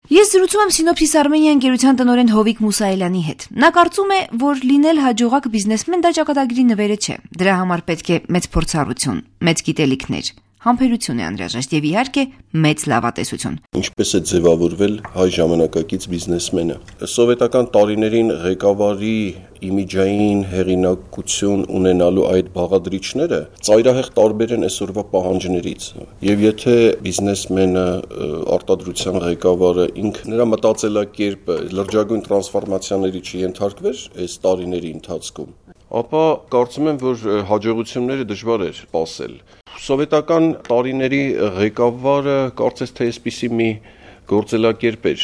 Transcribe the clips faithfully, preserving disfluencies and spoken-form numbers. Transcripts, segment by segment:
Ես զրուցում եմ Սինոպսիս Armenia ընկերության տնօրեն Հովիկ Մուսայելյանի հետ։ Նա կարծում է, որ լինել հաջողակ բիզնեսմեն դա ճակատագրի նվերը չէ։ Դրա համար պետք է մեծ փորձառություն, մեծ գիտելիքներ, համբերություն է անհրաժեշտ եւ իհարկե մեծ լավատեսություն։ Ինչպես է ձևավորվել հայ ժամանակակից բիզնեսմենը։ Սովետական տարիներին ղեկավարի իմիջային հեղինակություն ունենալու այդ բաղադրիչները ծայրահեղ տարբեր են այսօրվա պահանջներից։ Եվ եթե բիզնեսմենը, արտադրության ղեկավարը ինքը նրա մտածելակերպը լրջագույն տրանսֆորմացիաների չենթարկվեր այս տարիների ընթացքում, ապա կարծում եմ, որ հաջողությունները դժվար էր սպասել։ Սովետական տարիների ղեկավարը կարծես թե այսպիսի մի գործելակերպ էր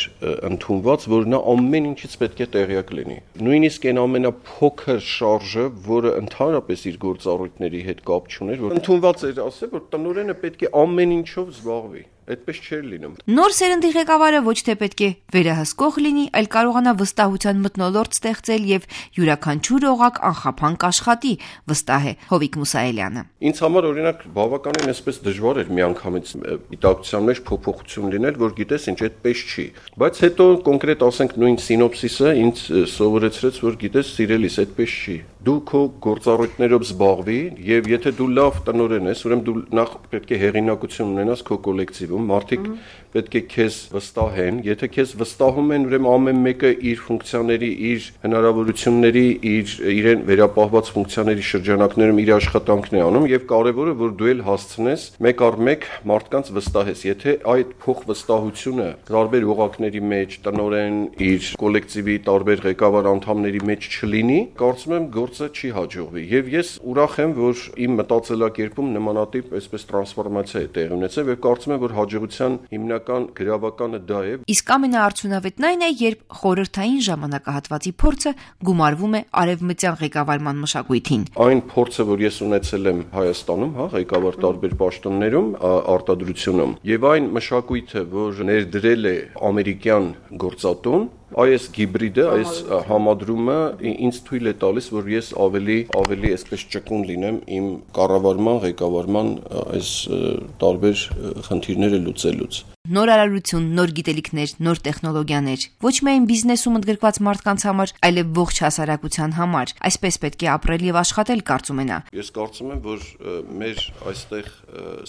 ընդունված, որ նա ամեն ինչից պետք է տեղյակ լինի։ Նույնիսկ այն ամենափոքր շարժը, որը ընդհանրապես իր գործառույթների հետ կապ չուներ, որ ընդունված էր ասել, որ տնօրենը պետք է ամեն ինչով զբաղվի։ Այդպես չէր լինում։ Նոր սերնդի ղեկավարը ոչ թե պետք է վերահսկող լինի, այլ կարողանա վստահության մթնոլորտ ստեղծել եւ յուրաքանչյուր օղակ անխափանք աշխատի, վստահ է Հովիկ Մուսայելյանը։ Ինձ համար օրինակ բավականին այսպես դժվար էր միանգամից գիտակցության մեջ փոփոխություն լինել, որ գիտես ինչ այդպես չի։ Բայց հետո կոնկրետ ասենք նույն սինոպսիսը ինձ սովորեցրեց, որ գիտես սիրելիս այդպես չի։ Դու քո գործառույթներով զբաղվի եւ եթե դու լավ տնօրեն ես, ուրեմն դու նախ պետք է հեղինակություն ունենաս քո կոլեկտիվում, մարդիկ պետք է քեզ վստահեն, եթե քեզ վստահում են, ուրեմն ամեն մեկը իր ֆունկցիաների, իր հնարավորությունների, իր իրեն վերապահված ֆունկցիաների շրջանակներում իր աշխատանքն է անում եւ կարեւորը որ դու էլ հասցնես մեկ առ մեկ մարդկանց վստահես։ Եթե այդ փոխվստահությունը տարբեր օղակների մեջ, տնօրեն իր կոլեկտիվի տարբեր ղեկավար անդամների մեջ չլինի, կարծում եմ գործը չի հաջողվի։ Եւ ես ուրախ եմ, որ իմ մտածելակերպում նմանատիպ այսպես տրանսֆորմացիա է տեղի ունեցել եւ կարծում եմ, որ հաջողության հիմնական գրավականը դա է։ Իսկ ամենաարդյունավետն այն է, երբ խորհրդային ժամանակահատվածի փորձը գումարվում է արևմտյան ղեկավարման մշակույթին։ Այն փորձը, որ ես ունեցել եմ Հայաստանում, հա, ղեկավար տարբեր պաշտոններում, արտադրությունում, եւ այն մշակույթը, որ ներդրել է ամերիկյան գործատուն, այս գիբրիդը, այս համադրումը ինձ թույլ է տալիս, որ ես ավելի ավելի այսպես ճկուն լինեմ իմ կառավարման, ղեկավարման այս տարբեր խնդիրները լուծելուց։ Նոր արարություն, նոր գիտելիքներ, նոր տեխնոլոգիաներ, ոչ միայն բիզնեսում ընդգրկված մարդկանց համար, այլև ողջ հասարակության համար։ Այսպես պետք է ապրել եւ աշխատել, կարծում եմ։ Ես կարծում եմ, որ մեր այստեղ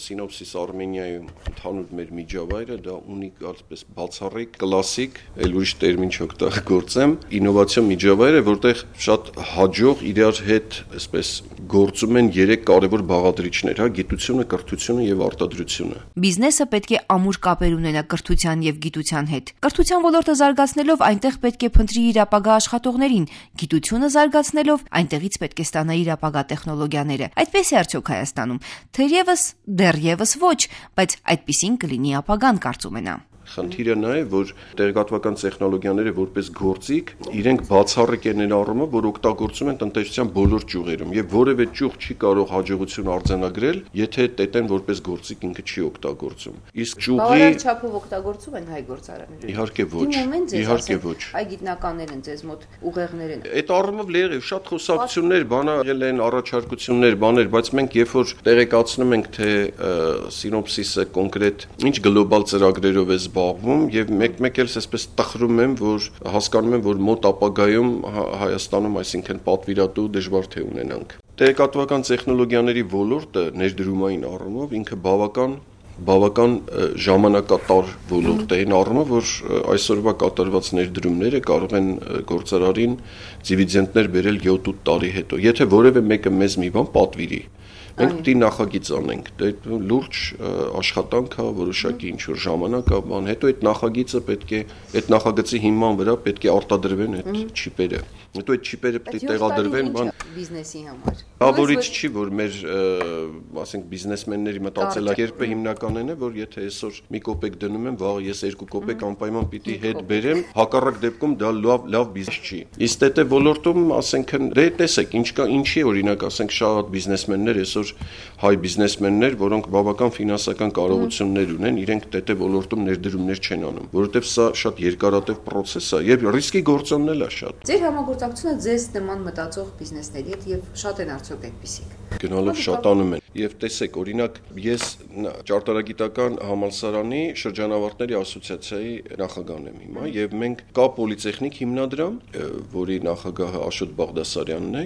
Սինոպսիս Armenia-ում ընդհանուր մեր միջավայրը դա ունի կարծես բացառիկ, կլասիկ, այլ ուրիշ տերմին չօգտագործեմ, ինովացիոն միջավայր է, որտեղ շատ հաջող իրար հետ այսպես գործում են երեք կարևոր բաղադրիչներ, հա, գիտությունը, կրթությունը եւ արտադրությունը։ Բիզնեսը պետք է ամուր կապեր ունենա կրթության եւ գիտության հետ։ Կրթության ոլորտը զարգացնելով այնտեղ պետք է փնտրի իր ապագա աշխատողներին, գիտությունը զարգացնելով այնտեղից պետք է ստանա իր ապագա տեխնոլոգիաները։ Այդպես է արդյոք Հայաստանում։ Թերևս դեռևս ոչ, բայց այդպիսին կլինի ապագան, կարծում եմ։ Խնդիրը նա է, որ տեղեկատվական տեխնոլոգիաները որպես գործիք իրենք բացառիկ են այն առումով, որ օգտագործում են տնտեսության բոլոր ճյուղերում եւ որևէ ճյուղ չի կարող հաջողություն արձանագրել, եթե տետեն որպես գործիք ինքը չի օգտագործում։ Իսկ ճյուղի բավարար չափով օգտագործում են հայ գործարանները։ Իհարկե ոչ։ Իհարկե ոչ։ Հայ գիտնականներ են ձեզ մոտ ուղեղներ են։ Այդ առումով լրիվ շատ խոսակցություններ, բանալ են, առաջարկություններ, բաներ, բայց մենք երբ որ տեղեկացնում ենք, թե սինոպսիսը կոնկրետ ինչ գլոբալ ծրագրերով է զբաղվում եւ մեկ-մեկ էլ այսպես տխրում եմ, որ հասկանում եմ, որ մոտ ապագայում Հայաստանում, այսինքն պատվիրատու դժվար թե ունենանք։ Տեղեկատվական տեխնոլոգիաների ոլորտը ներդրումային առումով ինքը բավական բավական ժամանակատար ոլորտ է այն առումով, որ այսօրվա կատարված ներդրումները կարող են գործարարին դիվիդենդներ բերել յոթ-ութ տարի հետո, եթե որևէ մեկը մեզ մի բան պատվիրի։ Մենք պետք է նախագիծ անենք, դա լուրջ աշխատանք է, որոշակի ինչ-որ ժամանակ է, բան, հետո այդ նախագիծը պետք է, այդ նախագծի հիման վրա պետք է արտադրվեն այդ չիպերը, հետո այդ չիպերը պետք է տեղադրվեն, բան, բիզնեսի համար։ Բավարարիչ չի, որ մեր, ասենք, բիզնեսմենների մտածելակերպը հիմնականն է, որ եթե այսօր մի կոպեկ դնում եմ, վաղ ես երկու կոպեկ անպայման պիտի հետ բերեմ, հակառակ դեպքում դա լավ լավ բիզնես չի։ Իսկ դե ոլորտում, ասենք, դե տեսեք, ինչ կա, ինչի օրինակ, ասենք, շատ բիզնեսմեններ այսօր հայ բիզնեսմեններ, որոնք բավական ֆինանսական կարողություններ ունեն, իրենք դե ոլորտում ներդրումներ չեն անում, որովհետև սա շատ երկարատև process է եւ ռիսկի գործոնն էլ է շատ։ Ձեր համագործակցությունը ձեզ նման մտածող բիզնեսների հետ եւ շատ են արդյոք այդպիսիք։ Գնալով շատանում են։ Եվ տեսեք, օրինակ, ես ճարտարագիտական համալսարանի շրջանավարտների ասոցիացիայի նախագահն եմ հիմա, եւ մենք կա պոլիտեխնիկ հիմնադրամ, որի նախագահը Աշոտ Բաղդասարյանն է,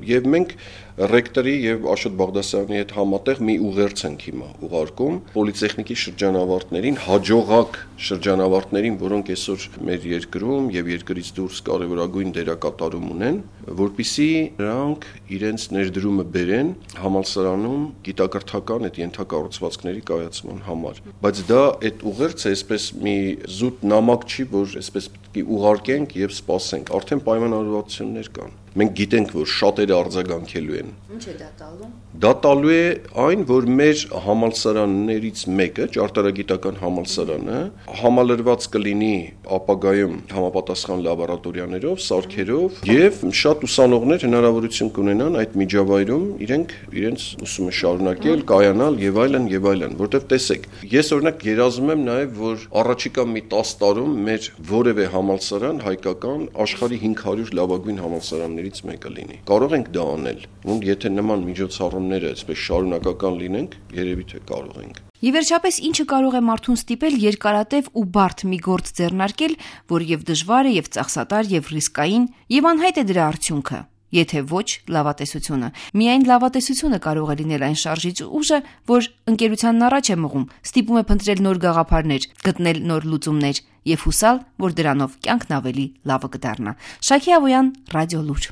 եւ մենք ռեկտորի եւ Աշոտ Բաղդասարյանի հետ համատեղ մի ուղերձ ենք հիմա ուղարկում պոլիտեխնիկի շրջանավարտներին, հաջողակ շրջանավարտներին, որոնք այսօր մեր երկրում եւ երկրից դուրս կարեւորագույն դերակատարում ունեն, որպիսի նրանք իրենց ներդրումը բերեն համալսարանում գիտակրթական այդ ենթակառուցվածքների կայացման համար։ Բայց դա այդ ուղերձը այսպես մի զուտ նամակ չի, որ այսպես պետք է ուղարկենք եւ սպասենք։ Արդեն պայմանավորվածություններ կան։ Մենք գիտենք, որ շատերը արձագանքելու են։ Ինչ է դա տալու։ Դա տալու է այն, որ մեր համալսարաններից մեկը, ճարտարագիտական համալսարանը, համալրված կլինի ապագայում համապատասխան լաբորատորիաներով, սարքերով եւ շատ ուսանողներ հնարավորություն կունենան այդ միջավայրում իրենք իրենց ուսումը շարունակել, կայանալ եւ այլն եւ այլն, որտեվ տեսեք, ես օրինակ երազում եմ նաեւ, որ առաջիկա մի տասը տարում մեր որևէ համալսարան հայկական աշխարհի հինգ հարյուր լավագույն համալսարաններից մեկը լինի։ Կարող ենք դա անել, ու եթե նման միջոցառումները այսպես շարունակական լինենք, երևի թե կարող ենք։ Եվ վերջապես ինչը կարող է մարդուն ստիպել երկարատև ու բարդ մի գործ ձեռնարկել, որ եւ դժվար է, եւ ծախսատար, եւ ռիսկային, եւ անհայտ է դրա արդյունքը։ Եթե ոչ լավատեսությունը։ Միայն լավատեսությունը կարող է լինել այն շարժիչ ուժը, որ ընկերությանն առաջ է մղում, ստիպում է փնտրել նոր գաղափարներ, գտնել նոր լուծումներ եւ հուսալ, որ դրանով կյանքն ավելի լավը կդառնա։ Շակի Ավոյան, Ռադիո Լուր։